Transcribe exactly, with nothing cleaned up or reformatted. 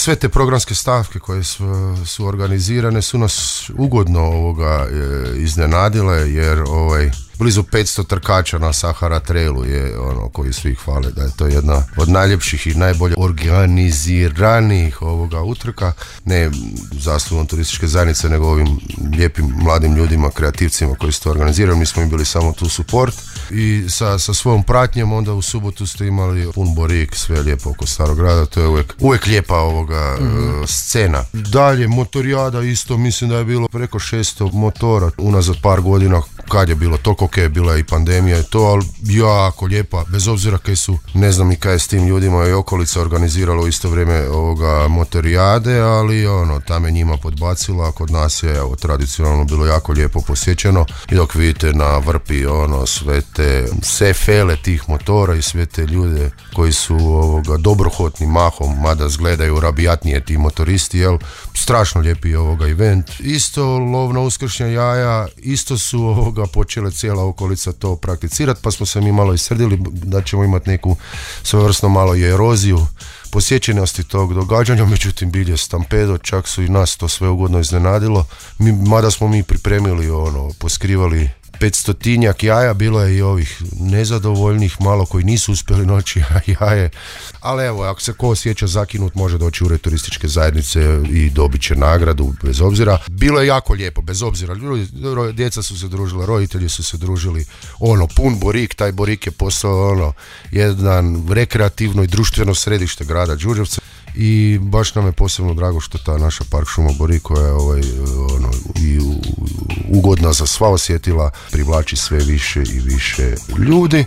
sve te programske stavke koje su, su organizirane su nas ugodno ovoga e, iznenadile, jer ovaj blizu petsto trkača na Sahara Trailu je ono koji svi hvale da je to jedna od najljepših i najbolje organiziranih ovoga utrka, ne zaslugom turističke zajednice, nego ovim lijepim mladim ljudima, kreativcima koji su to organizirali. Mi smo im bili samo tu support i sa, sa svojom pratnjom onda u subotu ste imali pun borik, sve lijepo oko Starog grada, to je uvijek, uvijek lijepa ovoga mm-hmm. uh, scena. Dalje, motorijada isto, mislim da je bilo preko šesto motora unazad par godina, kad je bilo to, ok, bila je i pandemija i to, ali jako lijepa, bez obzira kaj su, ne znam i kaj je s tim ljudima i okolica organiziralo u isto vrijeme ovoga motorijade, ali ono, tam je njima podbacila, kod nas je evo, tradicionalno bilo jako lijepo posjećeno i dok vidite na Vrpi ono, sve te sve fele tih motora i sve te ljude koji su ovoga dobrohotni mahom, mada zgledaju rabijatnije ti motoristi, jel, strašno lijepi ovoga event. Isto lovno uskršnja jaja, isto su ovoga počele cijela okolica to prakticirati, pa smo se mi malo isrdili da ćemo imati neku svojevrsno malo i eroziju posjećenosti tog događanja, međutim bilje stampedo, čak su i nas to sve ugodno iznenadilo. Mi, mada smo mi pripremili ono, poskrivali petstotinjak jaja, bilo je i ovih nezadovoljnih malo koji nisu uspjeli noći jaje, ali evo, ako se ko osjeća zakinut, može doći u ured turističke zajednice i dobit će nagradu bez obzira. Bilo je jako lijepo, bez obzira, ljudi, djeca su se družila, roditelji su se družili, ono, pun borik, taj borik je postao ono, jedan rekreativno i društveno središte grada Đurđevca. I baš nam je posebno drago što ta naša park šuma Borik, koja je ovaj, ono, i ugodna za sva osjetila, privlači sve više i više ljudi.